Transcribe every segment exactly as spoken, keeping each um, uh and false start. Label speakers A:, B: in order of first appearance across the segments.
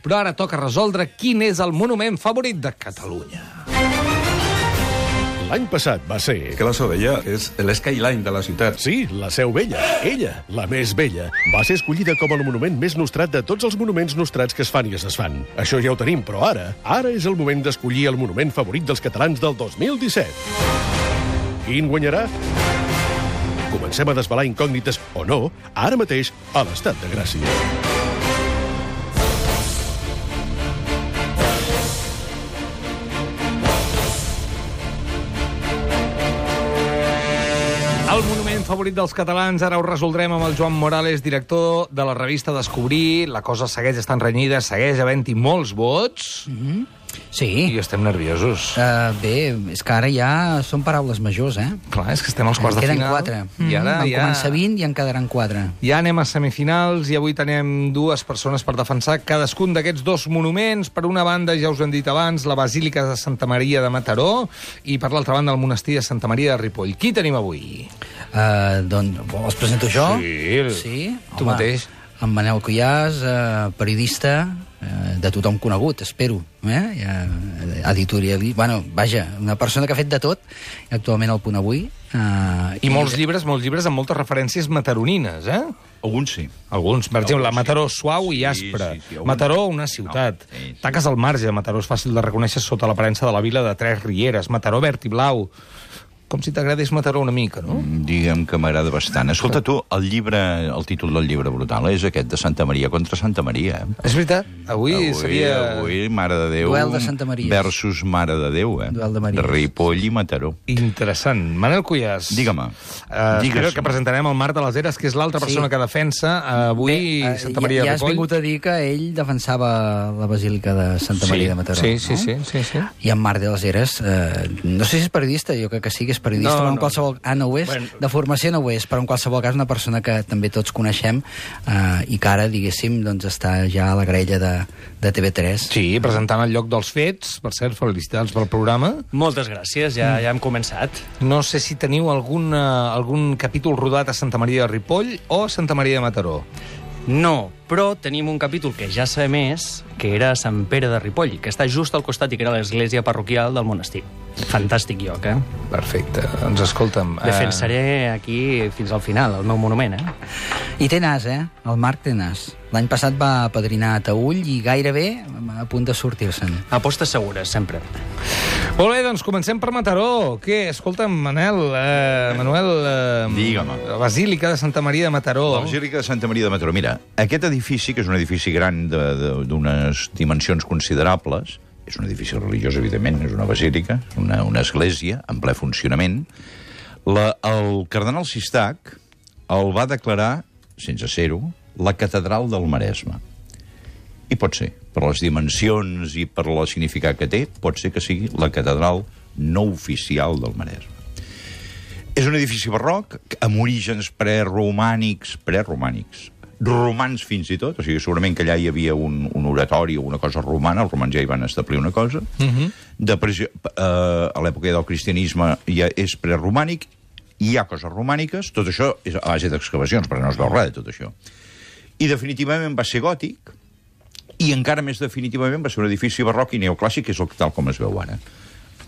A: Però ara toca resoldre quin és el monument favorit de Catalunya.
B: L'any passat va ser...
C: Que la Seu Vella és l'skyline de la ciutat.
B: Sí, la Seu Vella. Ella, la més vella, va ser escollida com el monument més nostrat de tots els monuments nostrats que es fan i es desfan. Això ja ho tenim, però ara, ara és el moment d'escollir el monument favorit dels catalans del dos mil disset. Quin guanyarà? Comencem a desvelar incògnites, o no, ara mateix, a l'Estat de Gràcia.
A: El monument favorit dels catalans, ara ho resoldrem amb el Joan Morales, director de la revista Descobrir. La cosa segueix estant renyida, segueix havent-hi molts vots.
D: Mm-hmm. Sí.
A: I estem nerviosos.
D: Uh, bé, és que ara ja són paraules majors, eh?
A: Clar, és que estem als quarts de
D: queden
A: final.
D: quatre.
A: I ara
D: Van
A: ja...
D: començar vint i en quedaran quatre.
A: Ja anem a semifinals i avui tenim dues persones per defensar cadascun d'aquests dos monuments. Per una banda, ja us ho hem dit abans, la Basílica de Santa Maria de Mataró, i per l'altra banda, el monestir de Santa Maria de Ripoll. Qui tenim avui?
D: Uh, doncs, els presento jo?
A: Sí,
D: sí?
A: tu
D: Home,
A: mateix.
D: En Manel Cuyàs, uh, periodista, uh, de tothom conegut, espero. Eh? Uh, editorial... Bueno, vaja, una persona que ha fet de tot, i actualment al Punt Avui. Uh,
A: I, I molts llibres, molts llibres amb moltes referències mataronines, eh?
E: Alguns sí.
A: Alguns, per exemple,
E: Alguns
A: Mataró
E: sí.
A: suau i
E: Sí,
A: aspre.
E: sí, sí, alguns...
A: Mataró, una ciutat.
E: No, sí, sí.
A: Taques al marge. Mataró és fàcil de reconèixer sota l'aparença de la vila de Tres Rieres. Mataró verd i blau. Com si t'agradés Mataró una mica, no?
E: Diguem que m'agrada bastant. Escolta, tu, el llibre, el títol del llibre brutal és aquest, de Santa Maria contra Santa Maria.
A: És veritat. Avui,
E: Avui
A: seria...
E: Avui, Mare de Déu...
D: Duel de Santa Maries.
E: Versus Mare de Déu, eh?
D: Duel de Maries.
E: Ripoll i Mataró.
A: Interessant. Manel Cuyàs.
E: Digue'm.
A: Uh, espero que presentarem el Marc de les Eres, que és l'altra
D: Sí.
A: persona que defensa uh, avui
D: Bé, uh,
A: Santa Maria
D: ja,
A: de
D: ja has
A: Ripoll.
D: vingut a dir que ell defensava la Basílica de Santa
A: Sí,
D: Maria de Mataró.
A: sí, sí,
D: no?
A: sí, sí, sí.
D: I en Marc de les Eres, eh, no sé si és periodista, jo crec que sí que és periodista,
A: No,
D: però en
A: no.
D: qualsevol... Ah, no ho és?
A: Bueno.
D: De formació no ho és, però en qualsevol cas una persona que també tots coneixem eh, i que ara, diguéssim, doncs està ja a la graella de, de T V tres.
A: Sí, presentant el lloc dels fets. Per cert, felicitats pel programa.
F: Moltes gràcies, ja, ja hem començat.
A: No sé si teniu algun, uh, algun capítol rodat a Santa Maria de Ripoll o a Santa Maria de Mataró.
F: No, però tenim un capítol que ja sabem més, que era a Sant Pere de Ripoll, que està just al costat i que era l'església parroquial del monestir. Fantàstic lloc, eh?
A: Perfecte. Doncs escolta'm...
F: Defensaré aquí fins al final, el meu monument, eh?
D: I té nas, eh? El Marc té nas. L'any passat va apadrinar a Taüll i gairebé a punt de sortir-se'n.
F: Apostes segures, sempre.
A: Molt bé, doncs comencem per Mataró. Què? Escolta'm, Manel, eh, Manuel... Eh,
E: Digue'm.
A: La Basílica de Santa Maria de Mataró.
E: La Basílica de Santa Maria de Mataró. Mira, aquest edifici, que és un edifici gran d'unes dimensions considerables, és un edifici religiós, evidentment, és una basílica, una, una església en ple funcionament, la, el cardenal Sistac el va declarar, sense ser-ho, la catedral del Maresme. I pot ser, per les dimensions i per el significat que té, pot ser que sigui la catedral no oficial del Maresme. És un edifici barroc, amb orígens preromànics, preromànics, romans fins i tot, o sigui, segurament que allà hi havia un, un oratori o una cosa romana, els romans ja hi van establir una cosa. Uh-huh. De pressió, eh, a l'època del cristianisme ja és preromànic, hi ha coses romàniques, tot això és a base d'excavacions, perquè no es veu res de tot això. I definitivament va ser gòtic, i encara més definitivament va ser un edifici barroc i neoclàssic, que és el tal com es veu ara.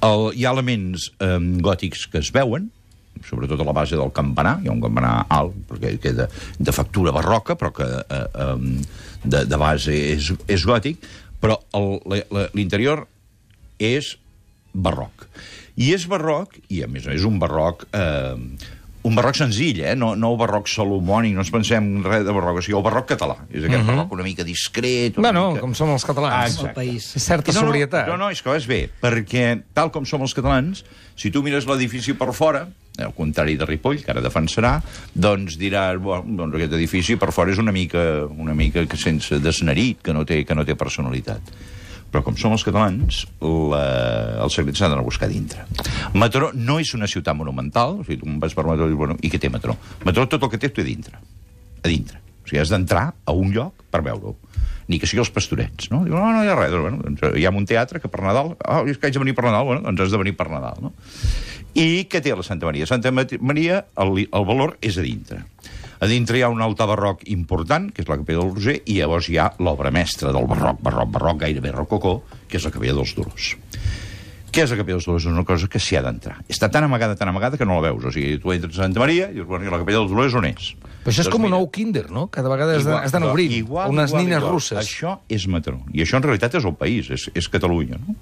E: El, hi ha elements eh, gòtics que es veuen, sobretot a la base del campanar, hi ha un campanar alt, perquè que de, de factura barroca, però que eh, eh, de, de base és, és gòtic, però l'interior és barroc. I és barroc, i a més és un barroc... Eh, un barroc senzill, eh? No, no el barroc salomònic, no ens pensem res de barroc, o sigui, el barroc català. És aquest uh-huh. barroc una mica discret... Una
A: bueno,
E: mica...
A: com som els catalans.
E: Ah,
D: El país.
A: És certa
E: no, no,
A: sobrietat.
E: No, no, és que és bé, perquè tal com som els catalans, si tu mires l'edifici per fora, al contrari de Ripoll, que ara defensarà, doncs diràs, bueno, doncs aquest edifici per fora és una mica, una mica sense desnerit, que no té, que no té personalitat. Però com som els catalans, la... el secret s'ha d'anar a buscar dintre. Mataró no és una ciutat monumental, o sigui, tu vas per Mataró i dius, bueno, i què té Mataró? Mataró tot el que té, té a dintre. A dintre. O sigui, has d'entrar a un lloc per veure-ho. Ni que sigui els pastorets, no? Diu, no, no hi ha res. Doncs, bueno, doncs, hi ha un teatre que per Nadal... Ah, és que haig de venir per Nadal. Bueno, doncs has de venir per Nadal, no? I què té la Santa Maria? Santa Maria, el, el valor és a dintre. A dintre hi ha un altar barroc important, que és la Capella del Roser, i llavors hi ha l'obra mestra del barroc, barroc, barroc, gairebé rococó, que és la Capella dels Dolors. Què és la Capella dels Dolors? És una cosa que s'hi ha d'entrar. Està tan amagada, tan amagada, que no la veus. O sigui, tu entres a Santa Maria i dius, bueno, la Capella dels Dolors on és?
A: Però això és doncs com un nou kinder, no? Cada vegada has d'anar obrint.
E: Igual,
A: unes
E: igual,
A: nines
E: igual.
A: russes.
E: Això és Mataró. I això en realitat és el país, és, és Catalunya, no?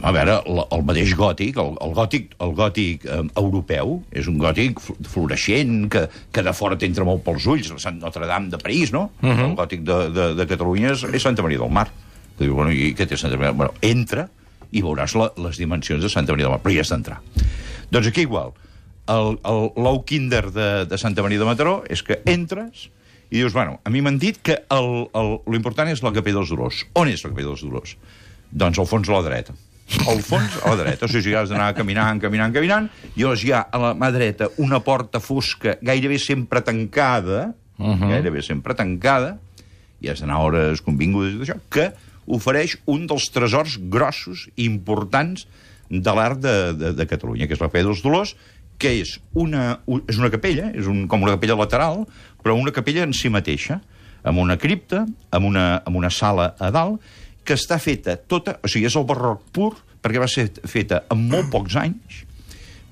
E: A veure, el, el mateix gòtic, el, el gòtic, el gòtic eh, europeu, és un gòtic floreixent, que, que de fora t'entra molt pels ulls, el Sant Notre-Dame de París, no? Uh -huh. El gòtic de, de, de Catalunya és, és Santa Maria del Mar. Que diu, bueno, i què té Santa Maria del Mar? Bueno, entra i veuràs la, les dimensions de Santa Maria del Mar, però hi has d'entrar. Doncs aquí igual, l'ou kinder de, de Santa Maria de Mataró és que entres i dius, bueno, a mi m'han dit que l'important és la Capella dels Dolors. On és la Capella dels Dolors? Doncs al fons a la dreta. Al fons, a la dreta. O sigui, has d'anar caminant, caminant, caminant, i llavors hi ha a la mà dreta una porta fosca gairebé sempre tancada, uh -huh. gairebé sempre tancada, i has d'anar a hores convingudes i d'això, que ofereix un dels tresors grossos i importants de l'art de, de, de Catalunya, que és la Capella dels Dolors, que és una, és una capella, és un, com una capella lateral, però una capella en si mateixa, amb una cripta, amb una, amb una sala a dalt, que està feta tota... O sigui, és el barroc pur, perquè va ser feta en molt pocs anys,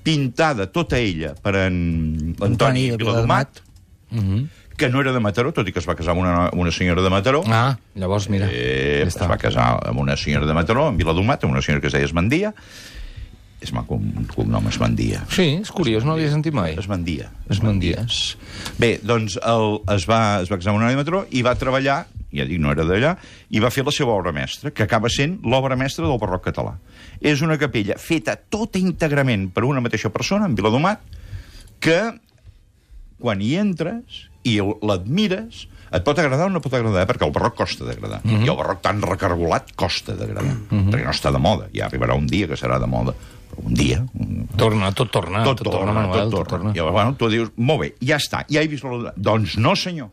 E: pintada tota ella per en Antoni Viladomat, uh -huh. que no era de Mataró, tot i que es va casar amb una, una senyora de Mataró.
A: Ah, llavors, mira.
E: Eh, es va casar amb una senyora de Mataró, amb Viladomat, amb una senyora que es deia Esmandia. És maco, un cognom Esmandia.
A: Sí, és curiós, no l'havia sentit mai.
E: Esmandia.
A: Esmandia.
E: Bé, doncs el, es, va, es va casar amb una de Mataró i va treballar, ja dic, no era d'allà, i va fer la seva obra mestra, que acaba sent l'obra mestra del barroc català. És una capella feta tota íntegrament per una mateixa persona, en Viladomat, que quan hi entres i l'admires, et pot agradar o no pot agradar, perquè el barroc costa d'agradar. Uh -huh. I el barroc tan recargolat costa d'agradar, uh -huh. perquè no està de moda. Ja arribarà un dia que serà de moda, però un dia...
A: Torna, tot torna.
E: Tot, tot torna, torna, Manuel, tot torna. Tot torna. I llavors, bueno, tu dius, molt bé, ja està, ja he vist la... Doncs no, senyor.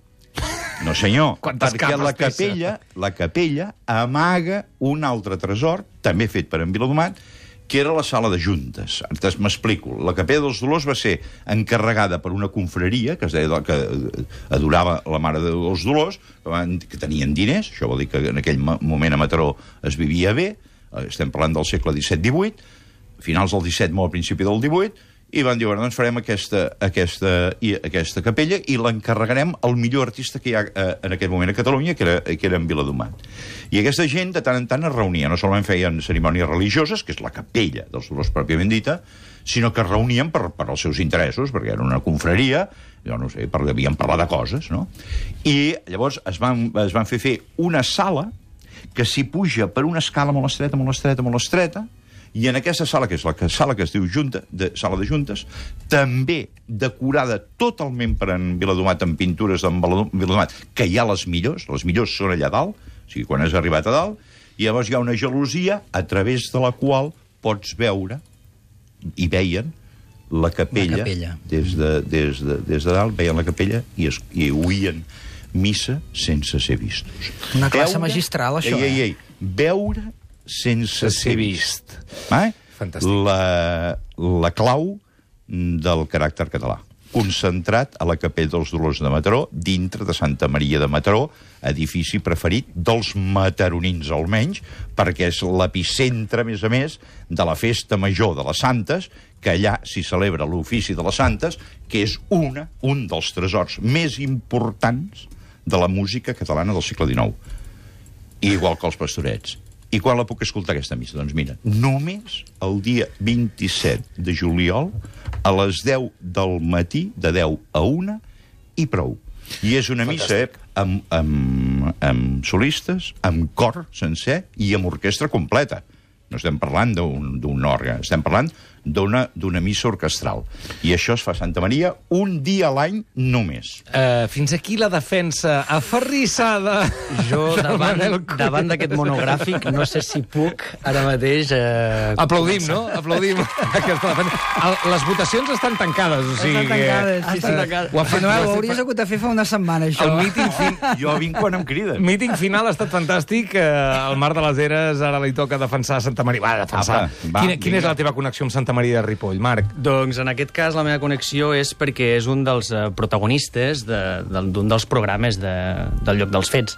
E: No, senyor,
A: Quantes
E: perquè la capella, la capella amaga un altre tresor, també fet per en Viladomat, que era la sala de juntes. Ara m'explico. La Capella dels Dolors va ser encarregada per una confraria, que es deia que adorava la Mare dels Dolors, que tenien diners, això vol dir que en aquell moment a Mataró es vivia bé, estem parlant del segle disset divuit, finals del disset, molt al principi del divuit, i van dir, bueno, doncs farem aquesta, aquesta, i, aquesta capella i l'encarregarem al millor artista que hi ha eh, en aquest moment a Catalunya, que era, que era en Viladomat. I aquesta gent de tant en tant es reunia, no solament feien cerimònies religioses, que és la capella dels Dolors pròpiament dita, sinó que es reunien per, per als seus interessos, perquè era una confraria, jo no sé, per, havien parlat de coses, no? I llavors es van, es van fer fer una sala que s'hi puja per una escala molt estreta, molt estreta, molt estreta, i en aquesta sala, que és la sala que es diu Junta, de, sala de juntes, també decorada totalment per en Viladomat, amb pintures d'en Viladomat, que hi ha les millors, les millors són allà dalt, o sigui, quan has arribat a dalt, i llavors hi ha una gelosia a través de la qual pots veure, i veien, la capella,
D: la capella.
E: Des, de, des, de, des de dalt, veien la capella i, es, i oïen missa sense ser vistos.
D: Una classe veure, magistral, això,
E: ei, ei,
D: eh?
E: ei, veure sense ser vist. Eh?
A: Fantàstic.
E: La, la clau del caràcter català. Concentrat a la Capella dels Dolors de Mataró, dintre de Santa Maria de Mataró, edifici preferit dels mataronins almenys, perquè és l'epicentre, a més a més, de la festa major de les Santes, que allà s'hi celebra l'ofici de les Santes, que és una, un dels tresors més importants de la música catalana del segle dinou. I igual que els pastorets. I quan la puc escoltar, aquesta missa? Doncs mira, només el dia vint-i-set de juliol, a les deu del matí, de deu a una, i prou. I és una missa eh, amb, amb, amb solistes, amb cor sencer i amb orquestra completa. No estem parlant d'un òrgan, estem parlant d'una missa orquestral. I això es fa a Santa Maria un dia a l'any només.
A: Uh, fins aquí la defensa aferrissada.
F: Jo, davant, davant d'aquest monogràfic, no sé si puc ara mateix... Eh,
A: Aplaudim, no? Aplaudim. El, les votacions estan tancades, o sigui...
D: Estan tancades, sí,
F: estan
D: sí.
F: tancades.
D: Ho, fet, Manuel, ho hauries hagut de fer fa una setmana, això.
A: El míting fin...
E: Jo vinc quan em criden.
A: Míting final ha estat fantàstic. Uh, el Marc de les Heres ara li toca defensar Santa Maria. Va, defensar. Apa, va, quina, quina és la teva connexió amb Santa Santa Maria de Ripoll, Marc?
F: Doncs en aquest cas la meva connexió és perquè és un dels eh, protagonistes de- del- d'un dels programes de, del lloc dels fets.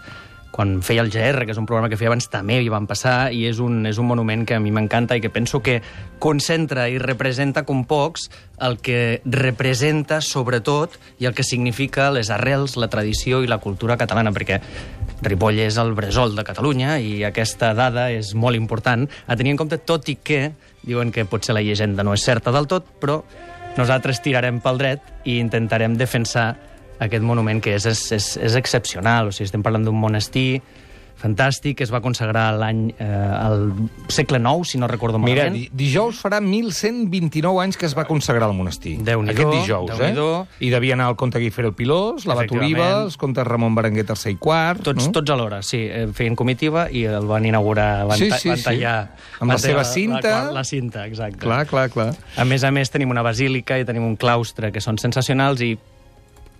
F: Quan feia el G R, que és un programa que feia abans, també hi van passar, i és un, és un monument que a mi m'encanta i que penso que concentra i representa com pocs el que representa, sobretot, i el que significa les arrels, la tradició i la cultura catalana, perquè Ripoll és el bressol de Catalunya i aquesta dada és molt important a tenir en compte, tot i que diuen que potser la llegenda no és certa del tot, però nosaltres tirarem pel dret i intentarem defensar aquest monument que és, és, és, és excepcional. O sigui, estem parlant d'un monestir fantàstic que es va consagrar l'any eh, al segle nou, si no recordo
A: Mira,
F: malament.
A: di dijous farà mil cent vint-i-nou anys que es va consagrar el monestir.
F: Déu-n'hi-do,
A: Aquest dijous, eh?
F: Déu-n'hi-do.
A: I devia anar el comte Guifer el Pilós, l'abat
F: Efectivament.
A: Oliva, els comtes Ramon Berenguer tercer i quart...
F: Tots,
A: no?
F: tots alhora, sí. Eh, Feien comitiva i el van inaugurar, van,
A: Sí,
F: ta-
A: sí,
F: van
A: sí.
F: tallar...
A: Amb la
F: van
A: seva
F: tallar
A: cinta.
F: La, la cinta, exacte.
A: Clar, clar, clar.
F: A més a més, tenim una basílica i tenim un claustre que són sensacionals i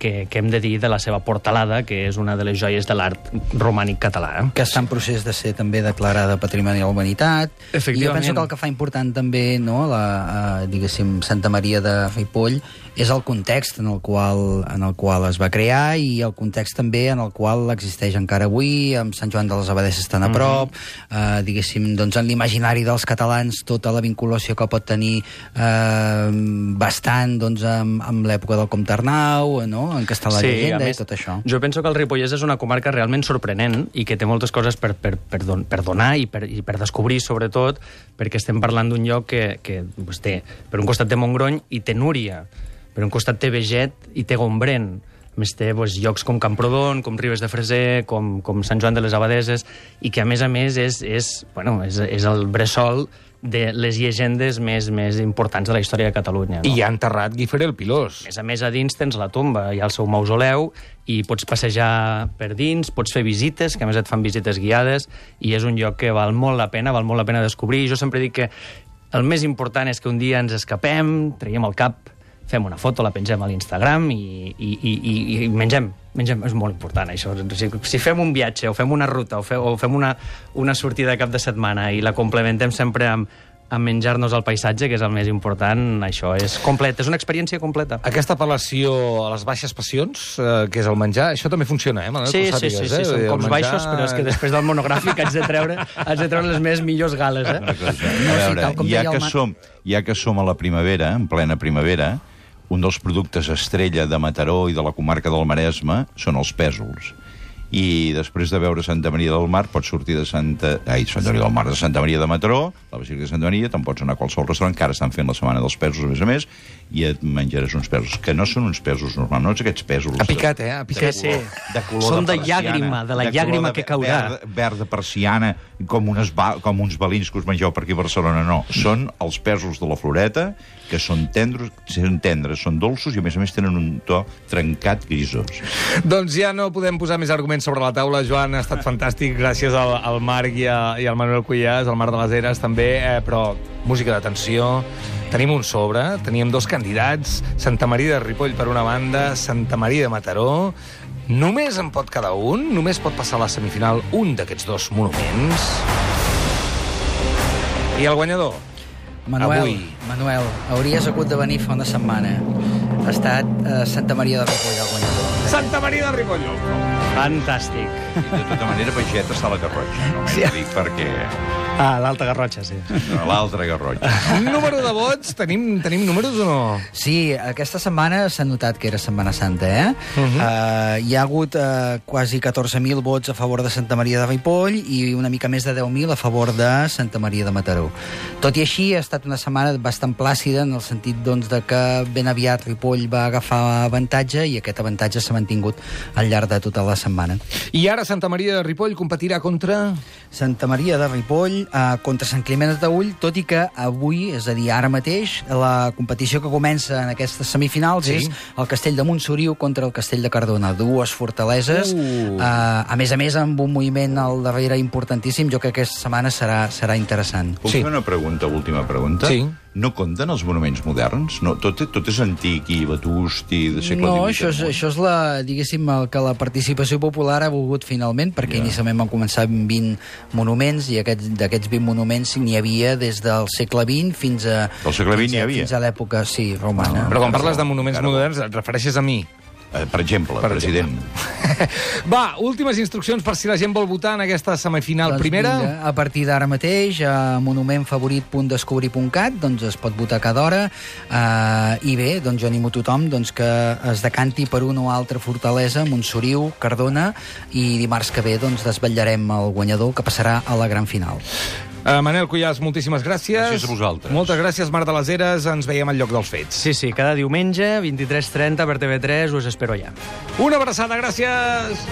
F: que, que hem de dir de la seva portalada, que és una de les joies de l'art romànic català. Eh?
D: Que està en procés de ser també declarada Patrimoni de la Humanitat.
F: Efectivament.
D: I jo penso que el que fa important també, no, la, uh, diguéssim, Santa Maria de Ripoll, és el context en el, qual, en el qual es va crear i el context també en el qual existeix encara avui, amb Sant Joan de les Abadesses tan a prop, uh, diguéssim, doncs en l'imaginari dels catalans tota la vinculació que pot tenir uh, bastant doncs, amb, amb l'època del Comte Arnau, no? En què està la
F: Sí,
D: llegenda
F: a més,
D: i tot això.
F: Jo penso que el Ripollès és una comarca realment sorprenent i que té moltes coses per, per, per, don, per donar i per, i per descobrir, sobretot, perquè estem parlant d'un lloc que, que pues, té, per un costat té Montgrony i té Núria, per un costat té Beget i té Gombrèn. A més té pues, llocs com Camprodon, com Ribes de Freser, com, com Sant Joan de les Abadeses, i que a més a més és, és, bueno, és, és el bressol de les llegendes més, més importants de la història de Catalunya. No?
A: I hi ha enterrat Guifer el Pilós.
F: A més a més, a dins tens la tomba, hi ha el seu mausoleu, i pots passejar per dins, pots fer visites, que a més et fan visites guiades, i és un lloc que val molt la pena, val molt la pena descobrir. Jo sempre dic que el més important és que un dia ens escapem, traiem el cap, fem una foto, la pengem a l'Instagram i, i, i, i, i mengem. Mengem, és molt important, això. Si, si fem un viatge, o fem una ruta, o, fe, o fem una, una sortida de cap de setmana i la complementem sempre amb, amb menjar-nos el paisatge, que és el més important, això és complet, és una experiència completa.
A: Aquesta apel·lació a les baixes passions, eh, que és el menjar, això també funciona, eh, Manel?
F: Sí,
A: Que ho
F: sí, sí,
A: sàpigues,
F: sí,
A: eh?
F: són
A: El
F: cops
A: menjar-
F: baixos, però és que després del monogràfic haig de treure, haig de treure les més millors gales, eh?
E: Una cosa.
D: No,
E: A
D: sí,
E: veure,
D: tal com
E: ja
D: deia el
E: que,
D: Ma-
E: som, ja que som a la primavera, en plena primavera, un dels productes estrella de Mataró i de la comarca del Maresme són els pèsols. I després de veure Santa Maria del Mar, pots sortir de Santa... Ai, Santa Maria del Mar, de Santa Maria de Mataró, la Basílica de Santa Maria, te'n pots anar a qualsevol restaurant, que ara estan fent la setmana dels pèsols, a més a més, i et menjaràs uns pèsols, que no són uns pèsols normals, no ets aquests pèsols...
A: Ha picat, eh? Ha picat.
F: Sí, sí.
E: de color
F: Són de
E: persiana,
F: llàgrima, de la
E: color
F: llàgrima
E: de
F: que caurà.
E: Verd, verd de persiana, com, unes ba com uns balins que us mengeu per aquí a Barcelona, no. Són els pèsols de la Floreta, que són tendres, són tendres, són dolços i, a més a més, tenen un to trencat grisós.
A: Doncs ja no podem posar més arguments sobre la taula. Joan, ha estat fantàstic, gràcies al, al Marc i, a, i al Manuel Cuyàs, al Marc de les Heres, també, eh, però música d'atenció. Tenim un sobre, teníem dos candidats, Santa Maria de Ripoll per una banda, Santa Maria de Mataró. Només en pot quedar un, només pot passar a la semifinal un d'aquests dos monuments. I el guanyador?
D: Manuel,
A: Avui.
D: Manuel, hauries hagut de venir fa una setmana. Ha estat eh, Santa Maria de Ripoll el guanyador.
A: Santa Maria de Ripoll.
F: Fantàstic.
E: I de tota manera, Peixet està a la Garrotxa, no? Sí. Dic perquè...
F: Ah, l'Alta Garrotxa, sí.
E: No, l'altra Garrotxa.
A: Número de vots, tenim, tenim números o no?
D: Sí, aquesta setmana s'ha notat que era Setmana Santa, eh? Uh -huh. uh, hi ha hagut uh, quasi catorze mil vots a favor de Santa Maria de Ripoll i una mica més de deu mil a favor de Santa Maria de Mataró. Tot i així, ha estat una setmana bastant plàcida en el sentit doncs, de que ben aviat Ripoll va agafar avantatge i aquest avantatge s'ha mantingut al llarg de tota la setmana.
A: I ara Santa Maria de Ripoll competirà contra...
D: Santa Maria de Ripoll uh, contra Sant Climent de Taüll, tot i que avui, és a dir, ara mateix, la competició que comença en aquestes semifinals
A: Sí.
D: és el Castell de Montsoriu contra el Castell de Cardona, dues fortaleses,
A: Uh.
D: uh, a més a més amb un moviment al darrere importantíssim. Jo crec que aquesta setmana serà, serà interessant.
E: Puc
A: Sí.
E: fer una pregunta, última pregunta?
A: Sí.
E: no compten els monuments moderns? No, tot, tot és antic i vetust i de segle
D: No,
E: divuit.
D: això és, això és la, diguéssim, el que la participació popular ha volgut finalment, perquè
E: Ja.
D: inicialment van començar amb vint monuments, i aquests, d'aquests vint monuments n'hi havia des del segle vint fins a...
E: Del segle vint
D: fins a-
E: n'hi havia?
D: Fins a l'època, sí, romana.
A: Però quan parles de monuments
E: Encara no.
A: moderns, et refereixes a mi.
E: Eh, per exemple,
A: Per
E: president.
A: Va, últimes instruccions per si la gent vol votar en aquesta semifinal
D: Doncs
A: primera.
D: vinga, a partir d'ara mateix, a monumentfavorit punt descobrir punt cat, doncs es pot votar cada hora, eh, i bé, doncs jo animo tothom doncs, que es decanti per una o altra fortalesa, Montsoriu, Cardona, i dimarts que ve doncs, desvetllarem el guanyador, que passarà a la gran final.
A: Uh, Manel Cuyàs, moltíssimes gràcies.
E: Gràcies a vosaltres.
A: Moltes gràcies, Mar de les Heres. Ens veiem al lloc dels fets.
F: Sí, sí, cada diumenge, vint-i-tres trenta per T V tres, us espero allà.
A: Una abraçada, gràcies!